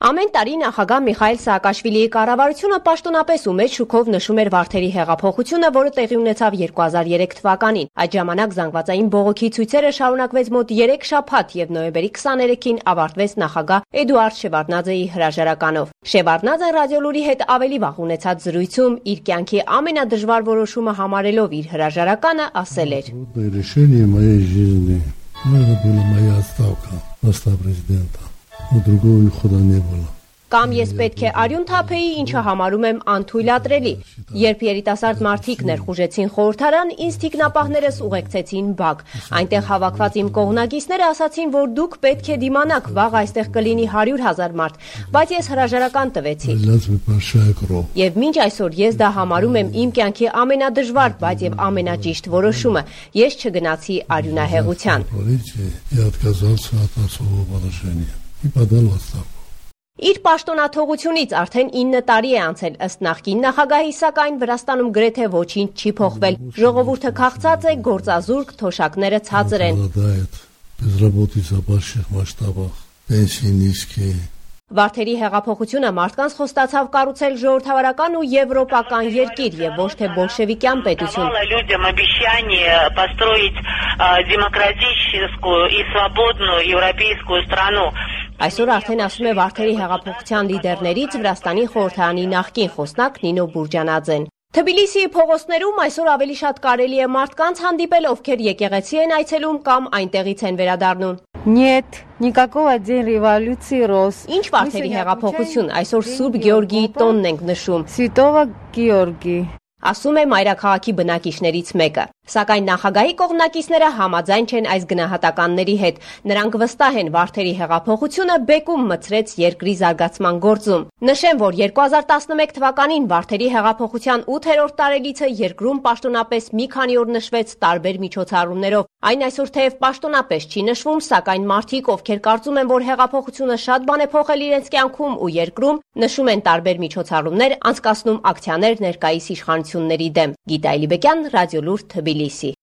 Ամեն տարի նախագահ Միխայիլ Սաակաշվիլիի կառավարությունը պաշտոնապես ու մեծ շուքով նշում էր Վարդերի հեղափոխությունը, որը տեղի ունեցավ 2003 թվականին։ Այդ ժամանակ զանգվածային բողոքի ցույցերը շարունակվեց մոտ 3 շաբաթ եւ նոյեմբերի 23-ին ավարտվեց նախագահ Էդուարդ Շևարդնաձեի հրաժարականով։ Շևարդնաձեն Ռադիոլուրի հետ ավելի վաղ ունեցած զրույցում իր կյանքի ամենադժվար որոշումը համարելով իր հրաժարականը ասել էր. «Решение моей жизни, это была моя отставка поста президента. Другого хода не было». Կամ ես պետք է արյուն թափեի, ինչը համարում եմ անթույլատրելի։ Երբ երիտասարդ մարդիկ ներխուժեցին խորհրդարան, ինձ թիկնապահներս ուղեկցեցին բակ։ Այնտեղ հավաքված իմ կողմնակիցները ասացին, որ դուք պետք է դիմանաք, վաղ այստեղ կլինի 100,000 մարդ, բայց ես հրաժարական տվեցի։ Եվ մինչ այսօր ես դա համարում եմ իմ կյանքի ամենադժվար, բայց եւ ամենաճիշտ որոշումը։ Ես չգնացի արյունահեղության։ Իր պաշտոնաթողությունից արդեն 9 տարի է անցել, ըստ նախկին նախագահի, սակայն Վրաստանում գրեթե ոչինչ չի փոխվել։ Ժողովուրդը քաղցած է, գործազուրկ, թոշակները ցածր են։ Վարդերի հեղափոխությունը մարդկանց խոստացավ կառուցել ժողովրդավարական ու եվրոպական երկիր եւ ոչ թե բոլշևիկյան պետություն։ Այսօր արդեն ասում է Վարդերի հեղափոխության լիդերներից Վրաստանի խորհրդարանի նախկին խոսնակ Նինո Բուրջանաձեն։ Թբիլիսիի փողոցներում այսօր ավելի շատ կարելի է մարդկանց հանդիպել, ովքեր եկեղեցի են այցելում կամ այնտեղից են վերադառնում։ Нет, никакого день революции роз. Ինչ Վարդերի հեղափոխություն, այսօր Սուրբ Գեորգիի տոնն ենք նշում։ Святого Георгия. Ասում է մայրաքաղաքի բնակիչներից մեկը։ Սակայն նախագահի կողմնակիցները համաձայն չեն այս գնահատականների հետ։ Նրանք վստահ են Վարդերի հեղափոխությունը բեկում մցրեց երկրի զարգացման գործում։ Նշեմ, որ 2011 թվականին Վարդերի հեղափոխության 8-րդ տարելիցը երկրում պաշտոնապես մի քանի օր նշվեց տարբեր միջոցառումներով։ Այն այսօր թեև պաշտոնապես չի նշվում, սակայն մարդիկ, ովքեր կարծում են, որ հեղափոխությունը շատ բան է փոխել իրենց կյանքում ու երկրում, նշում են տարբեր միջոցառումներ, անցկացնում ակցիաներ ներկայիս իշխանությունների դեմ։ Գիտա Էլիբեկյան, Ռադիոլուր, Թբիլիսի։